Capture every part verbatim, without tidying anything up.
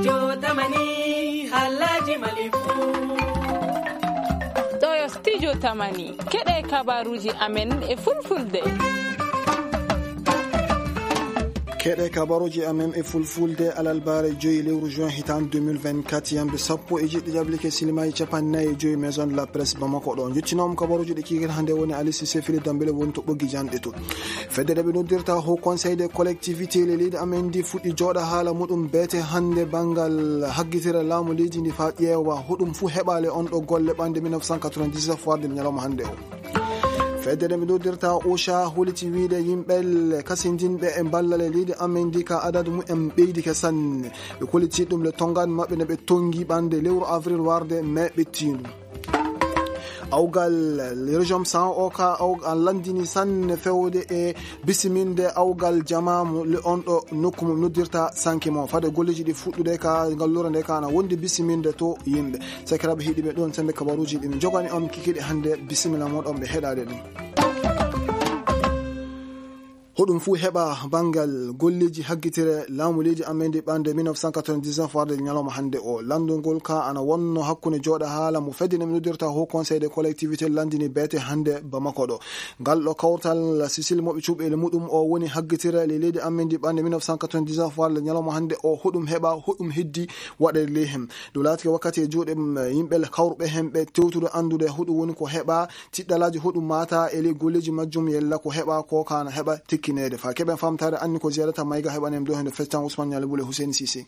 Studio Tamani, Halaji Malifu. Ɗo yo Studio Tamani, keɗe kabaruji amen e fulfulde. Keɗe kabaruji amen e fulfulde alarba joyi lewru juin hitan deux mille vingt-quatre, yamde sappo e jeɗɗi jablike silimaaji capanɗe nayi e joyi Maison de la Presse Bamako ɗo. Njottinoom kabaruji ɗi kikiiɗe hannde woni Ali Cissé Fili Dambele woni to ɓoggi janɗe to. Fedde nde ɓe noddirta Haut Conseil des Collectivités le leydi amen ndi fuɗɗi jooɗa haala muɗum beete hannde banngal haggitere laamu leydi ndi faa ƴeewa hoɗum fuu heɓaali on ɗo golle ɓannde mille neuf cent quatre-vingt-dix-neuf warde ñalawma hannde o. Fedde nde ɓe noddirta OCHA holiti wiyde yimɓe kasindinɓe e ballal e leydi amen ndi ka adadu mumen ɓeydike sanne. Ɓe kolliti ɗum le tonngande maɓɓe nde ɓe tonngi ɓannde lewru avril warde mai ɓettiindu. Awgal région san o ka aw-, an lanndini sanne fewde e bisiminde awgal jamaamu le on ɗo nokku mum noddirta sanke mo. Fade golleeji ɗi fuɗɗude ka ngalluure nde ka ana wondi bisiminde to yimɓe. Sakiraaɓe heɗiiɓe ɗon sembe kabaruuji ɗi min jogani on kikiiɗe hannde, bisimilla mon ɗon ɓe heɗaade ɗum. Hoɗum fuu heɓa banngal golleeji haggitere laamu leydi amen ndi ɓannde mille neuf cent quatre-vingt-dix-neuf warde ñalawma hannde o. Lanndungol ka ana wonno hakkunde jooɗa haala mo fedde nde min noddirta Haut Conseil des collectivités lanndini beete hannde Bamako ɗo. Ngal ɗo kawtal Sicile mo ɓe cuɓeele muɗum o woni haggitere le leydi amen ndi ɓannde mille neuf cent quatre-vingt-dix-neuf warde ñalawma hannde o. Hoɗum heɓa, hoɗum heddi waɗeede ley hen. Ɗum laatike wakkati e juuɗe, mm, yimɓe kawruɓe hen ɓe tewtude anndude hoɗum woni ko heɓa, tiɗɗalaaji hoɗum maata e ley golleeji majjum, yella ko heɓa ko ka na heɓa tikkineede. Faa keɓen famtaare anni ko jeerata mayga heɓanen ɗo hende feccan Ousmane Ñaali Bule Hussein Cissé.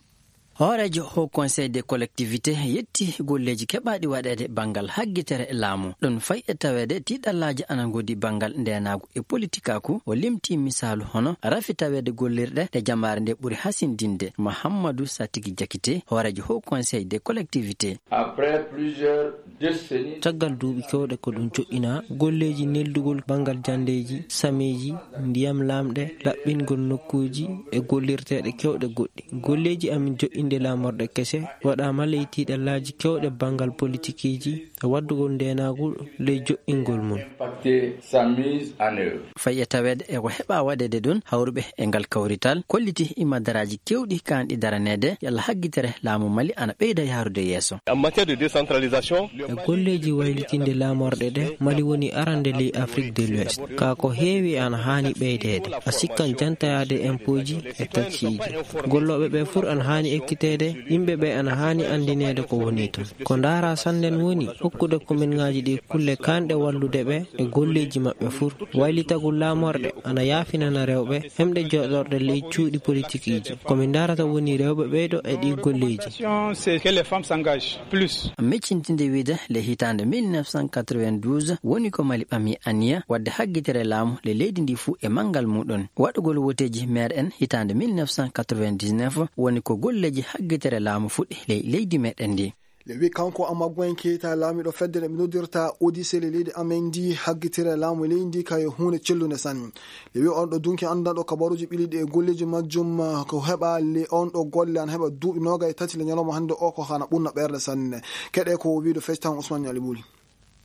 Hooreejo Haut Conseil des collectivités yetti golleeji keɓaaɗi waɗeede banngal haggitere laamu. Ɗum fay e taweede tiɗɗallaaji ana ngoodi banngal ndeenaagu e politikaaku. O limti misaalu hono rafi taweede gollirɗe ɗe jamaare nde ɓuri hasindinde. Mahammadu Satigi Jakite, hooreejo Haut Conseil des collectivités. Après plusieurs décennies, caggal duuɓi keewɗe ko ɗum joɗɗinaa, golleeji neldugol banngal janndeeji, sameeji, ndiyam laamɗe, laɓɓingol nokkuuji e gollirteeɗe keewɗe goɗɗe. Golleeji amin joɗɗinde laamorɗe kese waɗaama ley tiɗɗallaaji keewɗe banngal politikiiji e waddugol ndeenaagu ley joɗɗingol mum. Impacté sa mise en œuvre. Fay e taweede e ko heɓa waɗeede ɗum, hawruɓe e ngal kawrital kolliti imadaraaji keewɗi kaanɗi daraneede yalla haggitere laamu Mali ana ɓeyda yahrude yeeso. En matière de décentralisation, e golleeji waylitinde laamorɗe ɗe, Mali woni arande ley Afrique de l'Ouest. Ka ko heewi ana haani ɓeydeede. A sikkan jantayaade impooji e taksiiji. Gollooɓe ɓe fur ana haani ekkiteede, yimɓe ɓe ana haani anndineede ko woni toon. Ko ndaara sannden woni hokkude kominŋaaji ɗi kulle kaanɗe wallude ɓe e golleeji maɓɓe fur. Waylitagol laamorɗe ana yaafinana rewɓe hemɗe jooɗorɗe ley cuuɗi politikiiji. Ko min ndaarata woni rewɓe ɓeydo e ɗi golleeji. C'est que les femmes s'engagent plus. Meccintinde wiide le hitaande mille neuf cent quatre-vingt-douze woni ko Mali ɓami aniya waɗde haggitere laamu le leydi ndi fuu e manngal muɗum. Waɗugol woteeji maire en hitaande mille neuf cent quatre-vingt-dix-neuf woni ko golleeji haggitere laamu fuɗɗi ley leydi meɗen ndi. Le wi kanko Amaguen Keita, laamiɗo fedde nde ɓe noddirta Odyssey le leydi amen ndi, haggitere laamu leydi ndi ka yo huunde cellunde sanne. Le wi on ɗo dunki anndanɗo kabaruuji ɓiliɗi e golleeji majjum, ah, ko heɓa le on ɗo golle an heɓa duuɓi noogay e tati le ñalawma hannde o ko hana ɓurna ɓerde sanne. Keɗe ko o wiiɗo fectan Ousmane Ñaali Buli.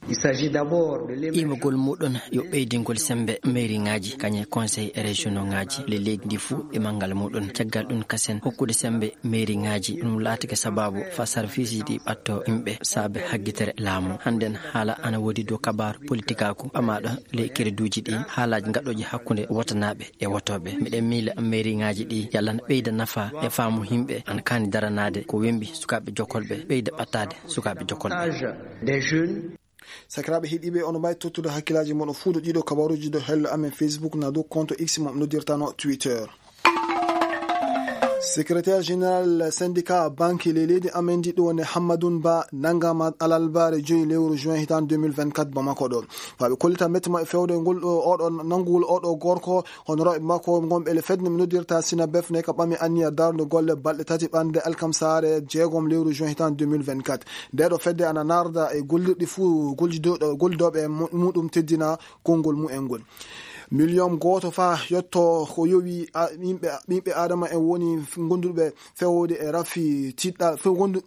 Il s'agit d'abord de l'émergence. Imogol muɗum yo ɓeydingol sembe mairiŋaaji, kañe conseil régionaux ŋaaji le leydi ndi fuu e manngal muɗum. Caggal ɗum kasen hokkude sembe mairiŋaaji, ɗum laatike sababu fa sarfiisiji ɗi ɓatto yimɓe saabe haggitere laamu. Hannden haala ana woodi dow kabaaru politikaaku ɓamaaɗo ley kereduuji ɗi, haalaaji gaɗooji hakkunde wotanaaɓe e wotooɓe. Miɗen miila mairiŋaaji ɗi yalla na ɓeyda nafa e faamu yimɓe, ana kaani daranaade ko wembi sukaaɓe jokolɓe, ɓeyda ɓattaade sukaaɓe jokolɓe. Des jeunes. Sakiraaɓe heɗiiɓe, ono mbaawi tottude hakkillaaji mon o fuu ɗo ɗiɗo kabaruuji ɗo hello amen Facebook na dow compte X mo noddirtano Twitter. Secrétaire général syndicat banque ley leydi amen ndi ɗo woni Hammadoun Ba nanngama alarba joyi lewru juin hitan deux mille vingt-quatre Bamako ɗo. Faa ɓe kollita mette maɓɓe fewde ngol ɗo, oɗo nanngugol oɗo gorko, honoraaɓe makko ngonɓe le fedde nde ɓe noddirta Sinabef ne ka ɓami anniya darnde golle balɗe tati ɓannde alkamsaare jeegom lewru juin hitan deux mille vingt-quatre. Nde ɗo fedde ana narda e gollirɗi fuu gollido-, gollidooɓe mu-, muɗum teddina konngol mumen ngol. Miliyon gooto faa yotto ko yowi a-, yimɓe, ɓiɓɓe Aadama en woni f-, gonduɓe fewde e rafi tiɗɗal, few-, gondu-,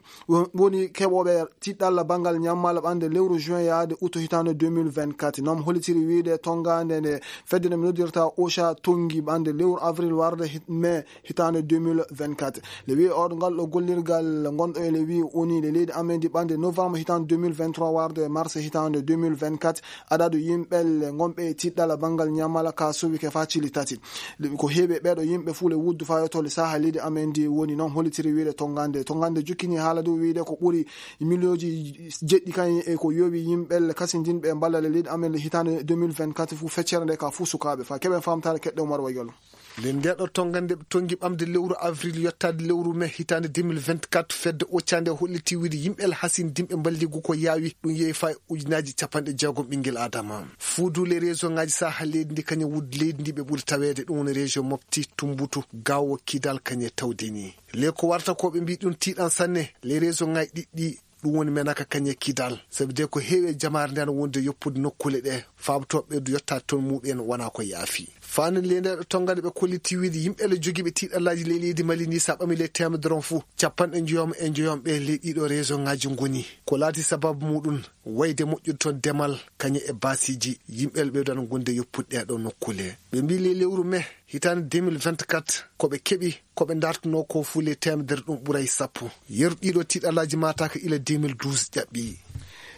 woni keɓooɓe tiɗɗal banngal ñammal ɓannde lewru juin yaade août hitaande deux mille vingt-quatre. Noon hollitiri wiyde tonngaande nde fedde nde mi noddirta OSHA tonngi ɓannde lewru avril warde hit-, mai hitaande deux mille vingt-quatre. Le wiye oɗo ngal ɗo gollirgal ngonɗo e le wiye woni le leydi amen ndi ɓannde novembre hitaande deux mille vingt-trois warde mars hitaande deux mille vingt-quatre. Adadu yimɓe le ngonɓe e tiɗɗal banngal ñamala ka suuɓi ke faa cili tati. Le, ko heewi e ɓeeɗo yimɓe fuu le wuddu faa yotto le saha leydi amen ndi woni noon hollitiri wiyde tonngande. Tonngande jukkini haala dow wiyde ko ɓuri miliyooji jeɗɗi kañum e ko yowi yimɓe le kasindinɓe e mballa le leydi amen le hitaande deux mille vingt-quatre fuu feccere nde ka fuu sukaaɓe. Faa keɓen faamtaare keɗɗe Umar Wayol. Nden nde ɗo tonngande ɓe tonngi ɓamde lewru avril yottaade lewru mai hitaande deux mille vingt-quatre, fedde occande holliti wiyde yimɓe alhasin dimɓe mballigu ko yaawi ɗum yehi faa e ujunaaji capanɗe jeegom ɓinngel Aadama. Fuudu le région ŋaaji saha leydi ndi kañum wuddi leydi ndi ɓe ɓuri taweede, ɗum woni région Mopti, Tumbutu, Gaawo, Kidal kañum e Tawdeni. Le ko warta ko ɓe mbi ɗum tiiɗan sanne, le région ŋaaji ɗiɗɗi ɗum woni Menaka kañum e Kidal. Sabi de ko heewi e jamaare nde ana wondi e yoppude nokkuule ɗe, faabotooɓe ɓe du yottaade toon muɓɓen wonaa ko yaafi. Faani le nde ɗo tonngande ɓe kolliti wiyde yimɓe le jogiiɓe tiiɗallaaji ley leydi Mali ni sa ɓami le teemedere on fuu, capanɗe njoyom e njoyom ɓe ley ɗiɗo région ŋaaji ngoni. Ko laati sababu muɗum, wayde moƴƴude toon demal kañum e baasiiji yimɓe le ɓe du ana gondi e yoppude ɗee ɗo nokkuule. Ɓe mbi le lewru mai hitaande deux mille vingt-quatre ko ɓe keɓi ko ɓe dartunoo ko fuu le teemedere ɗum ɓuray sappo. Yeru ɗiɗo tiiɗallaaji mataaka ila deux mille douze ƴaɓɓi.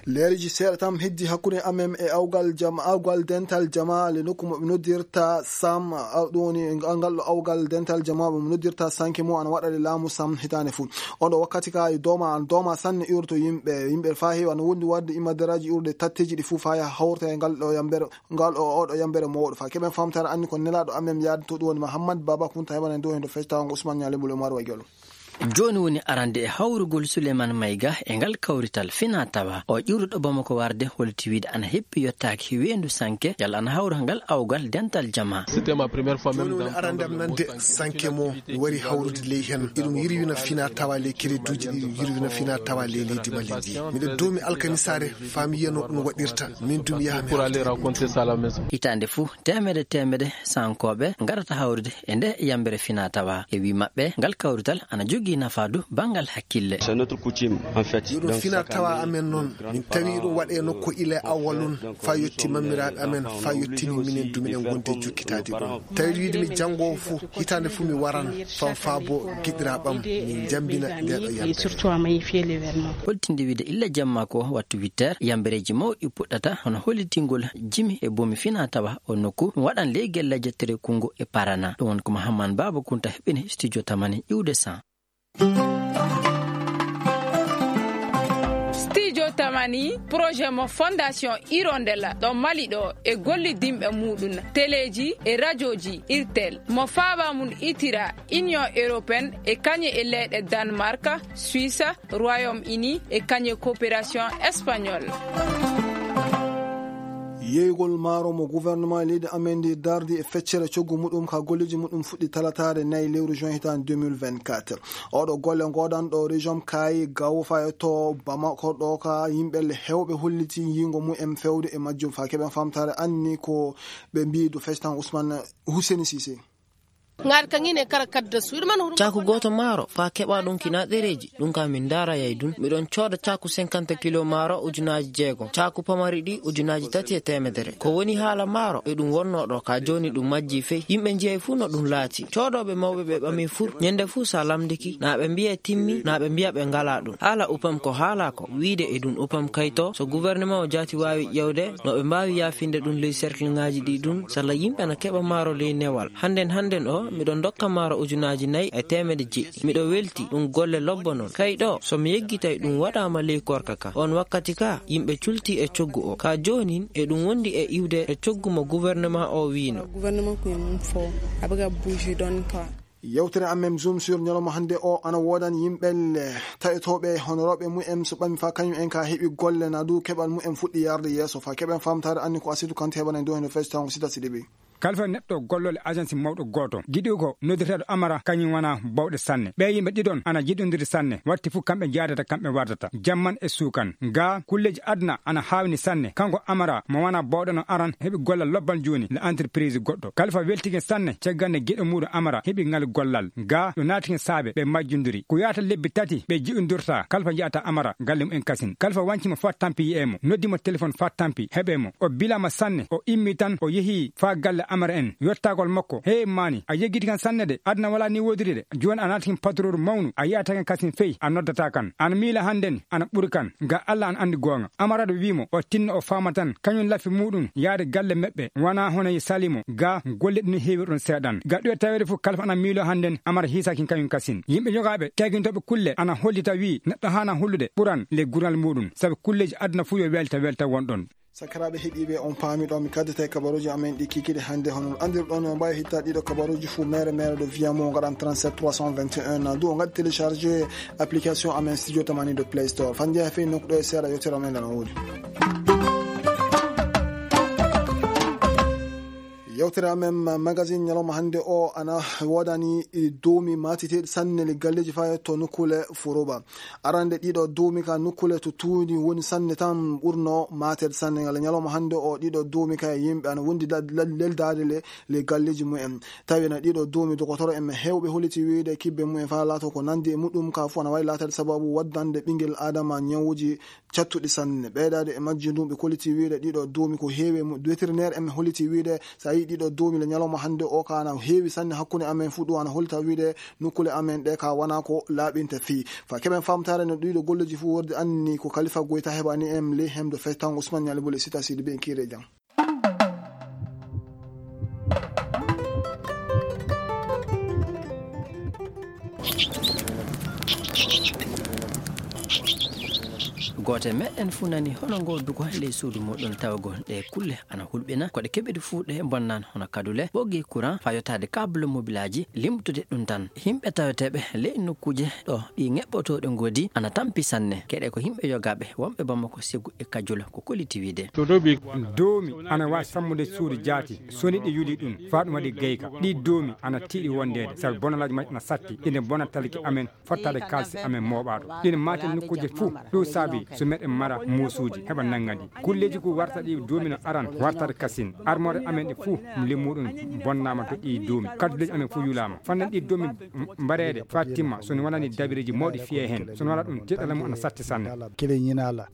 Leeriji seeɗa tan heddi hakkunde amen e awgal jam-, awgal dental jama le nokku mo ɓe noddirta Sam, aw-, ɗum woni ngal ɗo awgal dental jama mo ɓe noddirta Sanke mo ana waɗa le laamu Sam hitaande fuu. On ɗo wakkati ka e dooma, an dooma sanne iwroto yimɓe, yimɓe faa heewi ana wondi waɗde imadaraaji iwrude tatteeji ɗi fuu faa yaha hawrta e ngal ɗo yambere, ngal o, oɗo yambere mawɗo. Faa keɓen faamtaare anni ko nelaaɗo amen yaade to ɗum woni Mahammad Baba Kunta heɓana en dow heen to fectaango Ousmane Niang Lembol e Umar Wayjolo. Jooni woni arande e hawrugol Souleymane Mayga e ngal kawrital fina tawa. O ƴiwruɗo Bamako warde holti wiide ana heppi yottaaki weendu Sanke, yalla ana hawra ngal awgal dental jama. C'était ma première fois. Jooni même woni dans arande am nande Sanke mo mi wari hawrude ley heen. Iɗum yirwina fina tawa ley kereduuji ɗi, iɗum yirwina fina tawa ley leydi Mali ndi. Miɗo doomi alkamisaare faa mi yiyano ɗum waɗirta. Min dum yaha mi pour aller raconter ça à la maison. Hitaande fuu, teemedde teemedde Sankooɓe ngarata hawrude e nde yambere fina tawa. E wii maɓɓe, ngal kawrital ana jogii nafaadu banngal hakkille. C'est notre coutume, en fait. Yo ɗum fina tawa amen noon. Min tawi ɗum waɗe nokku ila awwalun, faa yotti mammiraaɓe amen, faa yottini minen du miɗen ngondi e jokkitaade ɗum. Tawi wiide mi janngo fuu, hitaande fuu mi waran, fam faabo giɗiraaɓam, min njambina nde ɗo yambere. Holtinde wiide illa jamma ko wattu huit heures, yambereeji mawɗi puɗɗata, hono hollitingol jimi e bomi fina tawa o nokku. Ɗum waɗan ley gelleeje Terekungo e Parana. Ɗum woni ko Mahamman Baaba Kunta heɓini studio Tamani iwde san. Studio Tamani, projet mo Fondation Hirondelle ɗo Mali ɗo e gollidinɓe muɗum, teleeji e rajooji Irtel, mo faaba mum itira Union Européenne e kañe e leyɗe Danemark, Suisse, Royaume-Uni e kañe coopération espagnole. Yeeygol maaro mo gouvernement leydi amen ndi dardi e feccere coggu muɗum ka golleeji muɗum fuɗɗi talataare nayi lewru juin hitaande deux mille vingt-quatre. Oɗo golle ngodanɗo région Kaayi Gawo fayo to Bamako ɗo ka yimɓe le hewɓe holliti yingo mumen fewde e majjum fa keɓen famtare anni ko ɓe mbi du festan Ousmane Hussein Cissé. Ngari ka ngine kara kadda su, iɗum man huru. Caaku gooto maaro, faa keɓa ɗum kina ɗereeji, ɗum ka min ndaara yay ɗum. Miɗon cooda caaku cinquante kilo maaro ujunaaji jeego, caaku pamari ɗi ujunaaji tati e teemedere. Ko woni haala maaro, e ɗum wonnoo ɗo, ka jooni ɗum majjii fey. Yimɓe njiyay fuu no ɗum laati. Coodooɓe mawɓe ɓe ɓami fur, ñande fuu sa lamndiki, na ɓe mbiya timmi, na ɓe mbiya ɓe ngalaa ɗum. Haala upam ko haala ko, wiide e ɗum upam kayto, so gouvernement o jaati waawi ƴeewde, no ɓe mbaawi yaafinde ɗum ley cercle ŋaaji ɗi ɗum, salla yimɓe na keɓa maaro ley newal. Hannden, hannden o, miɗo ndokka maaro ujunaaji nayi e teemedde jeɗɗi. Miɗo welti, ɗum golle lobbo non. Kay ɗo, so mi yeggitay ɗum waɗaama ley korka ka. On wakkati ka, yimɓe culti e coggu o. Ka joonin, e ɗum wondi e iwde e coggu mo gouvernement o wiino. Gouvernement ko e mum fo, a bëgg a bouger ɗon quoi. Yewtere amen Zoom sur ñalawma hannde o ana woodan yimɓe le taƴotooɓe honorooɓe mumen so ɓami fa kañum en ka heɓi golle na du keɓal mumen fuɗɗi yarde yeeso fa keɓen famtaare anni ko Asidu Kante heɓana en dow heno fecci tawngo Sida Sidibe. Kalfa neɗɗo gollol e agensi mawɗo gooto. Giɗo ko noddirteeɗo Amara, kañum wona bawɗe sanne. Ɓee yimɓe ɗiɗon ana jiɗondiri sanne. Watti fof kamɓe njaadata, kamɓe wardata. Jamman e suukan. Ga kulleeji aduna ana haawni sanne. Kanko Amara, mo wona bawɗo no aran, heɓi gollal lobbal jooni, le entreprise goɗɗo. Kalfa weltike sanne, caggal nde giɗo muuɗum Amara heɓi ngal gollal. Ga ɗo naatike saabe, ɓe majjondiri. Ko yaata lebbi tati, ɓe jiɗondorta. Kalfa njaata Amara, galle mum en kasin. Kalfa wanci mo faa tampi yi'ee mo. Noddi mo telefon faa tampi, heɓee mo. O bilaama sanne, o immi tan, o yehi faa galle Amara en. Yottagol makko, "Hee maani, a yeggiti kan sanne de, aduna walaa ni woodiri de. Jooni a naati kan patrooru mawnu, a yi'ataa kan kasin fey, a noddataa kan. Ana miila hannden, ana ɓuri kan. Ga Alla ana anndi goonga." Amara ɗo wi'i mo, o tinno o faama tan, kañum lafi muuɗum, yaade galle meɓɓe, wanaa hono ye sali mo, ga golle ɗum heewirɗon seeɗan. Ga ɗo taweede fof Kalfa ana miilo hannden, Amara hiisaaki kañum kasin. Yimɓe yogaaɓe, teegintooɓe kulle, ana hollita wi'i, neɗɗo haana hollude ɓural le gural muuɗum, sabu kulleeji aduna fof yo welta welta wonɗon. Sakiraaɓe heɗiiɓe, on paami ɗo mi kaddata e kabaruuji amen ɗi kikiɗe hannde. Hono no anndirɗon, on mbaawi hittaade ɗiɗo kabaruuji fuu mere mere ɗo via mo ngaɗan trente-sept trois cent vingt et un, na du on ngaɗi télécharger application amen Studio Tamani ɗo Play Store. Fannde haa feewi nokku ɗo e seeɗa yewtere amen ana woodi. Yewtere amen ma-, magazine ñalawma hannde o ana woodani, e, doomi maatiteeɗi sanne le galleeji faa yetto nokkuule Furuba. Arande ɗiɗo doomi ka nokkuule to tuuni woni sanne tan ɓurno maateede sanne. Ngal ñalawma hannde o ɗiɗo doomi ka e yimɓe ana wondi la-, la-, leldaade le, le galleeji mumen. Tawi na ɗiɗo doomi dogotoro en heewɓe holliti wiide kibbe mumen faa laato ko nandi e muɗum ka fof ana waawi laataade sababu waddande ɓinngel Aadama ñawuuji cattuɗi sanne. Ɓeydaade e majji ndun ɓe kolliti wiide ɗiɗo doomi ko heewi e mu-, vétérinaire en holliti wiide so a yii ɗiɗo doomi le ñalawma hannde o ka ana heewi sanne hakkunde amen fuu ɗum ana hollita wiide nokkuule amen ɗe ka wona ko laaɓinte fii. Fa keɓen famtaare no ɗiɗo golleji fuu worde anni ko Kalifa Goyta heɓani en le hemdo fey tan Ousmane Ñali Bole Sita Sidi ɓe en kiire jam. Gooto e meɗen fuu nani hono ngoo duko ley suudu muɗum tawagol ɗe kulle ana hulɓina. Ko ɗe keɓiɗe fuu ɗe bonnan hono kadule, ɓoggi courant, faa yottaade câble mobilaaji, limtude ɗum tan. Yimɓe taweteeɓe ley nokkuuje ɗo ɗi ŋeɓɓotooɗe ngoodi ana tampi sanne. Keɗe ko yimɓe yogaaɓe wonɓe Bamako, Segu e Kajul ko kolliti wiide. Doomi ana waawi sammude suudu jaati, so ni ɗi yuli ɗum, faa ɗum waɗi gayka. Ɗi doomi ana tiiɗi wondeede, sabu bonalaaji majji ana satti, ina bona talki amen, fottaade kaalisi amen mooɓaaɗo. Ɗin maate nokkuuje fuu, ɗum saabi so meɗen mara muusuuji, heɓa nannga ɗi. Kulleeji ko warta ɗi doomi no aran, wartata kasin. Armoire amen ɗe fuu, limmuɗum bonnaama to ɗi doomi. Kadduleeji amen fuu yulaama. Fannan ɗi doomi m-, mbareede faa timma, so no wonani dabireeji mawɗi fiyee heen. So no wona ɗum, tiiɗalla mum ana satti sanne.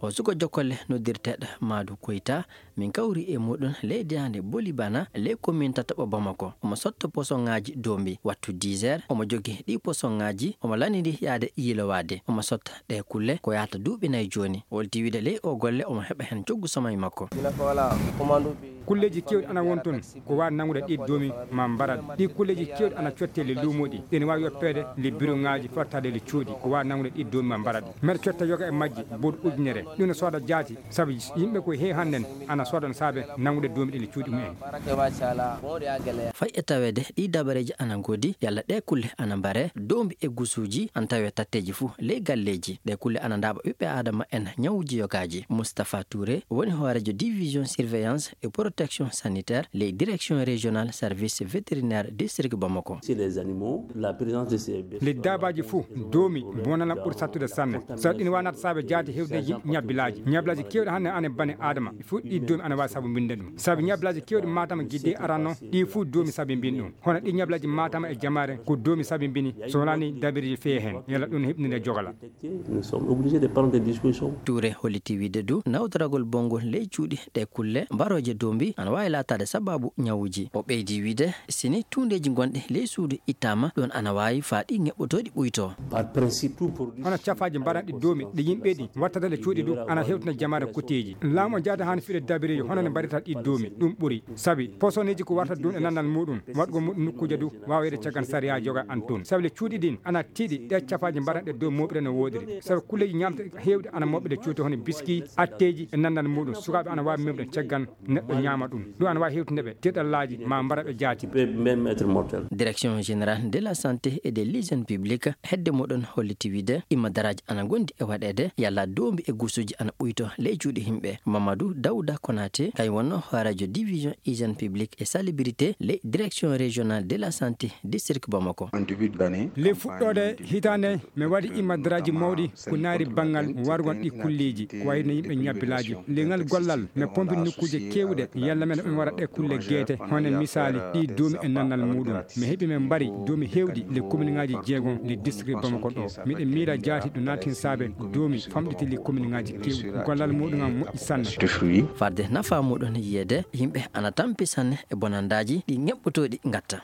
O suko jokkolle noddirteeɗo Maadu Koyta, min kawri e muɗum ley daande Boli Bana, ley komin tataɓo Bamako. Omo sotta posoŋaaji doombi wattu dix heures. Omo jogii ɗi posoŋaaji, omo lanndi yaade yiilowaade. Omo sotta ɗe kulle ko yahata duuɓi nayi jooni. Holti wiide ley o golle omo heɓa heen coggu somay makko. Kulleeji keewɗi ana won toon ko waawi nanngude ɗi doomi ma mbarat. Ɗi kulleeji keewɗi ana cottee le luumooɗi. Ene waawi yoppeede le biroŋaaji fottaade le cuuɗi ko waawi nanngude ɗi doomi ma mbarat. Mbeɗa cotta yoga e majji boɗ ujunere. Ɗum no sooda jaati. Sabu yimɓe ko heewi hannden ana sooda no saabe nanngude doomi ɗi le cuuɗi mumen. Fay e taweede ɗi dabareeji ana ngoodi, yalla ɗe kulle ana mbare, doombi e gusuuji ana tawe tatteeji fuu ley galleeji. Ɗe kulle ana ndaaɓa ɓiɓɓe Aadama en ñawuuji yogaaji. Moustapha Touré woni hooreejo division surveillance et protection sanitaire ley direction régionale service vétérinaire district Bamako. Chez les animaux, la présence de ces bêtes. Ley daabaaji fuu, doomi bonana ɓuri sattude sanne. Sabu ɗin waanata saabe jaati heewde yim-, ñabbilaaji. Ñabbilaaji keewɗi hannde ana bane Aadama. Fuu ɗi doomi ana waawi sabu mbinde ɗum. Sabu ñabbilaaji keewɗi Matam gidde aranno, ɗi fuu doomi sabi mbin ɗum. Hono ɗi ñabbilaaji Matam e Jamaare ko doomi sabi mbini, so wonani dabireeji fee heen. Yalla ɗum heɓninde jogala. Nous sommes obligés de prendre des dispositions. Touré holliti wiide du nawtoragol bonngol ley cuuɗi ɗe kulle mbarooje doombi ana waawi laataade sababu ñawuuji. O ɓeydi wiide, si ni tuundeeji gonɗi ley suudu ittaama, ɗoon ana waawi faa ɗi ŋeɓɓotooɗi ɓuytoo. Par principe, tout produit. Hono cafaaji mbaranɗi doomi ɗi yimɓe ɗi wattata le cuuɗi du, ana hewtina jamaare kuteeji. Laamu o jaada haani fiɗe dabireeji hono ne mbarita ɗi doomi, ɗum ɓuri. Sabi, posoneeji ko warta duun e nandal muuɗum, waɗgol muuɗum nokkuuje du, waawede caggal sariya joga an toon. Sabi le cuuɗi ɗin ana tiiɗi, ɗe cafaaji mbaranɗe dow mooɓre no woodiri. Sabi kulleeji ñaamte heewɗi ana moɓɓe le cuuɗi hono biski, atteeji e nandal muuɗum. Sukaaɓe ana waawi memɗe caggal neɗɗo ñaam- Ama ɗum ɗo ana wawi hewtinde ɓe teɗallaaji ma mbara ɓe jaati. Direction générale de la santé et de l'hygiène publique hedde muɗon holliti wiide imadaraaji ana gondi e waɗeede yalla doombi e gusuuji ana ɓuyto ley juuɗe yimɓe. Mamadou Daouda Konaté kay wonno hooreejo division hygiène publique et salubrité ley direction régionale de la santé district Bamako. Ley fuɗɗoode hitaande mi waɗi imadaraaji mawɗi ko naari banngal wargon ɗi kulleeji ko wayno yimɓe ñabbilaaji. Leŋal gollal mi pompi nokkuuje keewɗe yalla men ɓe waɗa ɗe kulle geete hono misaali ɗi doomi e nannal muɗum. Mi heɓi men mbari doomi heewɗi le commune ŋaaji jeegon le district Bamako ɗo. Miɗen miila jaati ɗo naati hen saabe doomi famɗiti le commune ŋaaji keewɗi gollal muɗum am moƴƴi sanne. Farde nafa muɗum yiyeede yimɓe ana tampi sanne e bonandaaji ɗi ŋeɓɓotooɗi ngatta.